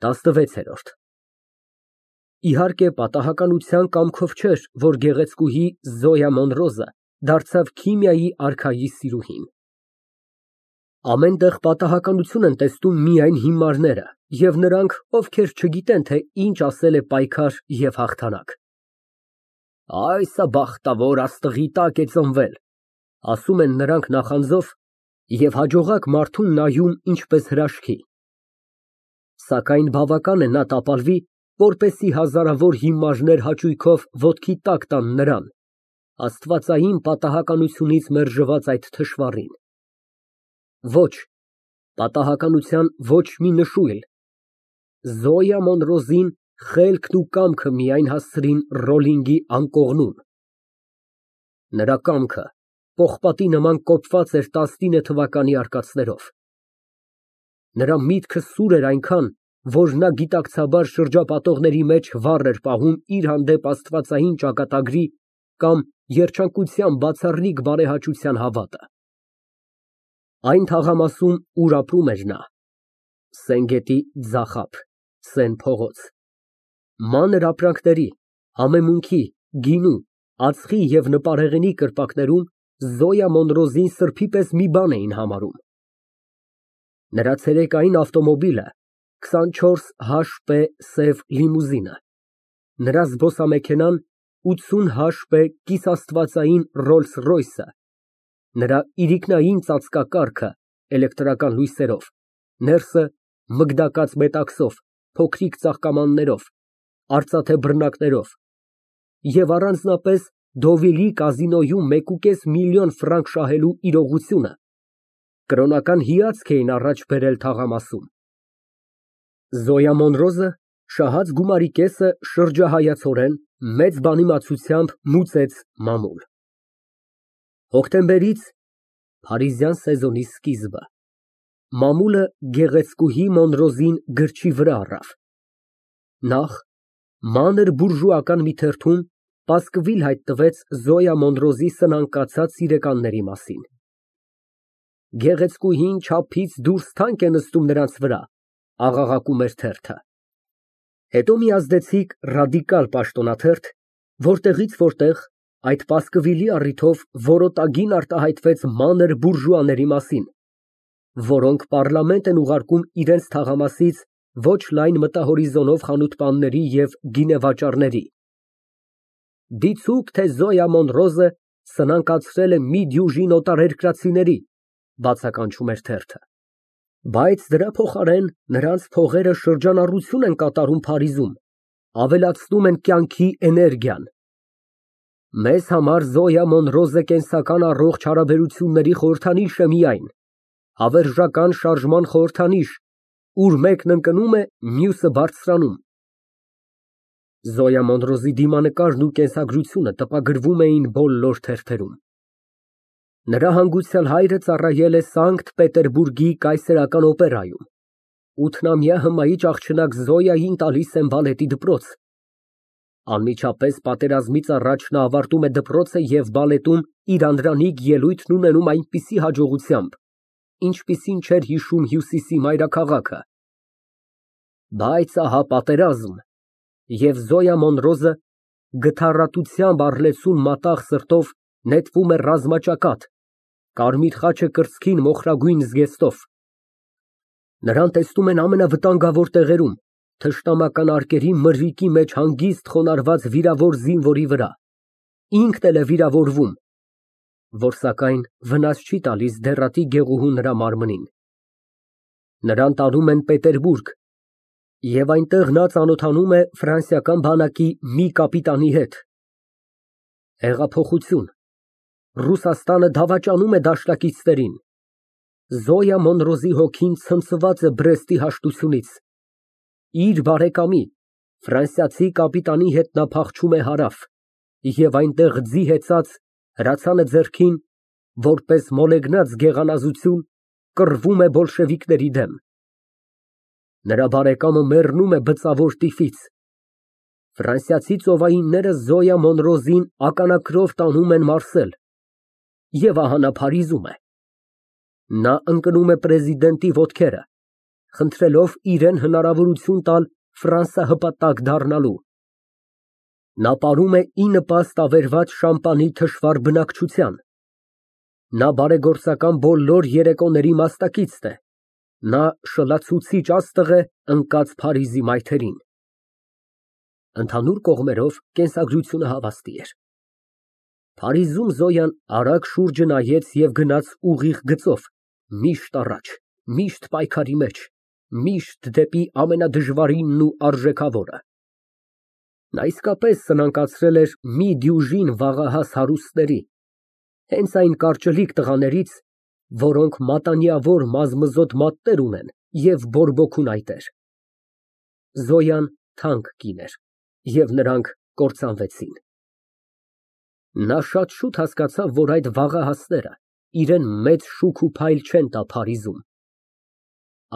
16։ Իհարկե, պատահականության կամքով չէր, որ գեղեցկուհի Զոյա Մոնրոզը դարձավ քիմիայի արքայի սիրուհին։ Ամեն տեղ պատահականություն են տեսնում միայն հիմարները և նրանք, ովքեր չգիտեն, թե ինչ ասել է պայքար և հաղթանակ։ Այս բախտավոր աստղի տակ է ծնվել, ասում են նրանք նախանձով և հաջողակ մարդուն նայում ինչպես հրաշքի։ Սակայն բավական է նա տապալվի, որպեսզի հազարավոր հիմարներ հաճույքով ոտքի տակ տան նրան, աստվածային պատահականությունից մերժված այդ թշվառին։ Ոչ, պատահականության ոչ մի նշույլ, Զոյա Մոնրոզին խելքն ու կամքը միայն հասցրին Ռոլլինգի անկողնուն։ Նրա կամքը պողպատի նման կոփված էր 19 թվականի արկածներով։ Նրա միտքը սուր էր այնքան, որ նա գիտակցաբար շրջապատողների մեջ վառ էր պահում իր հանդեպ աստվածային ճակատագրի կամ երջանկության բացառիկ բարեհաճության հավատը։ Այն թաղամասում, ուր ապրում էր նա, Սենգետի ձախ ափ, Սեն փողոց, մանր ապրանքների, համեմունքի, գինու, ածխի և նպարեղենի կրպակներում Զոյա Մոնրոզին սրբի պես մի բան էին համարում։ Նրա ցերեկային ավտոմոբիլը 24 HP սև լիմուզինը, նրա զբոսամեքենան 80 HP կիսաստվածային Ռոլլս-Ռոյսը, նրա իրիկնային ծածկակառքը էլեկտրական լույսերով, ներսը մգդակած մետաքսով, փոքրիկ ծաղկամաններով, արծաթե բռնակներով և առանձնապես Դովիլի կազինոյում 1,5 միլիոն ֆրանկ շահելու իրողությունը կրոնական հիացք էին առաջ բերել թաղամասում։ Զոյա Մոնրոզը շահած գումարի կեսը շրջահայացորեն մեծ բանիմացությամբ մուծեց մամուլ։ Հոկտեմբերից փարիզյան սեզոնի սկիզբը մամուլը գեղեցկուհի Մոնրոզին գրչի վրա առավ։ Նախ մանր բուրժուական մի թերթում պասկվիլ հայտնվեց Զոյա Մոնրոզի սնանկացած սիրեկանների մասին։ Գեղեցկուհին չափից դուրս թանկ է նստում նրանց վրա, աղաղակում էր թերթը։ Հետո մի ազդեցիկ ռադիկալ պաշտոնաթերթ, որտեղից որտեղ այդ պասկվիլի առիթով որոտագին արտահայտվեց մանր բուրժուաների մասին, որոնք պառլամենտ են ուղարկում իրենց թաղամասից ոչ լայն մտահորիզոնով խանութպանների և գինեվաճառների։ Դիցուք, թե Զոյա Մոնրոզը սնանկացրել է մի դյուժին օտարերկրացիների, բացականչում էր թերթը, բայց դրա փոխարեն նրանց փողերը շրջանառություն են կատարում Փարիզում, ավելացնում են կյանքի էներգիան։ Մեզ համար Զոյա Մոնրոզը կենսական առողջ հարաբերությունների խորհրդանիշ է միայն, հավերժական շարժման խորհրդանիշ, ուր մեկն ընկնում է, մյուսը բարձրանում։ Զոյա Մոնրոզի դիմանկարն ու կենսագրությունը տպագրվում էին բոլոր թերթերում։ Նրա հանգուցյալ հայրը ծառայել է Սանկտ Պետերբուրգի կայսերական օպերայում, 8-ամյա հմայիչ աղջնակ Զոյային տալիս են բալետի դպրոց։ Անմիջապես պատերազմից առաջ նա ավարտում է դպրոցը և բալետում իր անդրանիկ ելույթն ունենում այնպիսի հաջողությամբ, ինչպիսին չէր հիշում Հյուսիսի մայրաքաղաքը։ Բայց ահա պատերազմ, և Զոյա Մոնրոզը գթառատությամբ առլեցուն մատաղ սրտով նետվում է ռազմաճակատ, կարմիր խաչը կրծքին մոխրագույն զգեստով։ Նրան տեսնում են ամենավտանգավոր տեղերում, թշնամական արկերի մրրիկի մեջ հանգիստ խոնարհված վիրավոր զինվորի վրա, ինքն էլ է վիրավորվում, որ սակայն վնաս չի տալիս դեռատի գեղուհու նրա մարմնին։ Նրան տանում են Պետերբուրգ, և այնտեղ նա ծանոթանում է ֆրանսիական բանակի մի կապիտանի հետ։ Հեղափոխություն, Ռուսաստանը դավաճանում է դաշնակիցներին։ Զոյա Մոնրոզի հոգին ցնցված է Բրեստի հաշտությունից։ Իր բարեկամի, ֆրանսիացի կապիտանի հետ նա փախչում է հարավ և այնտեղ ձի հեծած, հրացանը ձեռքին, որպես մոլեգնած գեղանազություն, կռվում է բոլշևիկների դեմ։ Նրա բարեկամը մեռնում է բծավոր տիֆից։ Ֆրանսիացի ծովայինները Զոյա Մոնրոզին ականաքրով տանում են Մարսել, և ահա նա Փարիզում է։ Նա ընկնում է պրեզիդենտի ոտքերը, խնդրելով իրան հնարավորություն տալ ֆրանսահպատակ դառնալու։ Նա պարում է ի նպաստ ավերված շամպանի թշվառ բնակչության։ Նա բարեգործական բոլոր երեկոների մասնակիցն է։ Նա շլացուցիչ աստղ է ընկած Փարիզի մայթերին։ Ընդհանուր կողմերով կենսագրությունը հավաստի էր։ Փարիզում Զոյան արագ շուրջը նայեց և գնաց ուղիղ գծով, միշտ առաջ, միշտ պայքարի մեջ, միշտ դեպի ամենադժվարինն ու արժեքավորը։ Նա իսկապես սնանկացրել էր մի դյուժին վաղահաս հարուստների, հենց այն կարճլիկ տղաներից, որոնք մատանիավոր մազմզոտ մատներ ունեն և բորբոքուն այտեր։ Զոյան թանկ կին էր, և նրանք կործանվեցին։ Նա շատ շուտ հասկացավ, որ այդ վաղահասները իրան մեծ շուք ու փայլ չեն տա Փարիզում։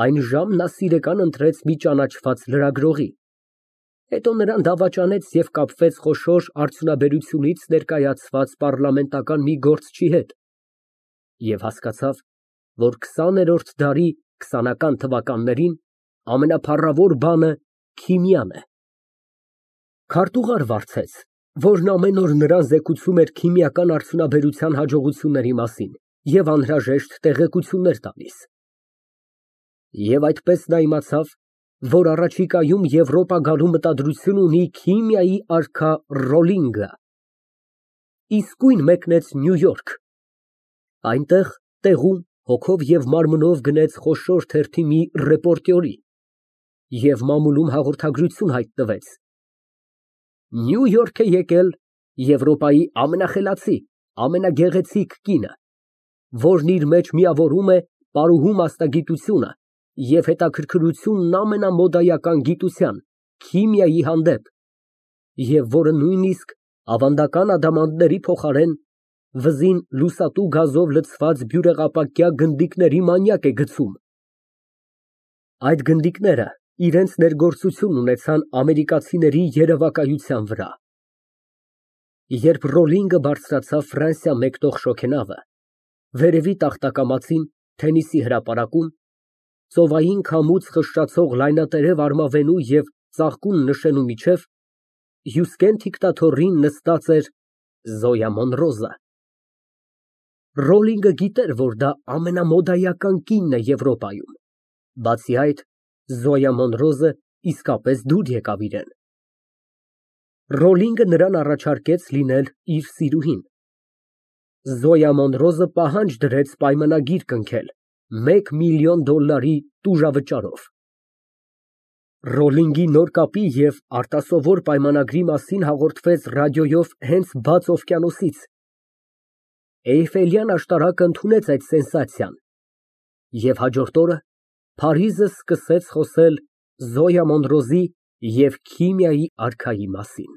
Այն ժամ նա սիրեկան ընտրեց մի ճանաչված լրագրողի, հետո նրան դավաճանեց և կապվեց խոշոր արդյունաբերությունից ներկայացված պառլամենտական մի գործչի հետ և հասկացավ, որ 20-րդ դարի 20-ական թվականներին ամենափառավոր բանը քիմիան է։ Քարտուղար վարձեց, որն ամեն օր նրան զեկուցում էր քիմիական արդյունաբերության հաջողությունների մասին և անհրաժեշտ տեղեկություններ տալիս։ Եվ այդպես նա իմացավ, որ առաջիկայում Եվրոպա գալու մտադրություն ունի քիմիայի արքա Ռոլինգը։ Իսկույն մեկնեց Նյու Յորք։ Այնտեղ, տեղում, հոգով և մարմնով գնեց խոշոր թերթի մի ռեպորտյորի և մամուլում հաղորդագրություն հայտնվեց. Նյու Յորք է եկել Եվրոպայի ամենախելացի, ամենագեղեցիկ կինը, որն իր մեջ միավորում է պարուհու մասնագիտությունը և հետաքրքրությունն ամենամոդայական գիտության՝ քիմիայի հանդեպ, և որը նույնիսկ ավանդական ադամանդների փոխարեն վզին լուսատու գազով լցված բյուրեղապակյա գնդիկների մանյակ է գցում։ Այդ գնդիկները իրենց ներգործությունն ունեցան ամերիկացիների երևակայության վրա։ Երբ Ռոլինգը բարձրացավ Ֆրանսիա մեկնող շոգենավը, վերևի տախտակամածին, Թենիսի հրապարակում, ծովային քամուց խշշացող լայնատերև արմավենու և ծաղկուն նշենու միջև, հյուսկեն թիկնաթոռին նստած էր Զոյա Մոնրոզը։ Ռոլինգը գիտեր, որ դա ամենամոդայական կինն է Եվրոպայում, բացի այդ, Զոյա Մոնրոզը իսկապես դուր եկավ իրան։ Ռոլինգը նրան առաջարկեց լինել իր սիրուհին։ Զոյա Մոնրոզը պահանջ դրեց պայմանագիր կնքել $1 միլիոն տուժավճարով։ Ռոլինգի նոր կապի և արտասովոր պայմանագրի մասին հաղորդվեց ռադիոյով հենց բաց օվկիանոսից։ Էյֆելյան աշտարակը ընդունեց այդ սենսացիան, և հաջորդ օրը Փարիզը սկսեց խոսել Զոյա Մոնրոզի և քիմիայի արքայի մասին։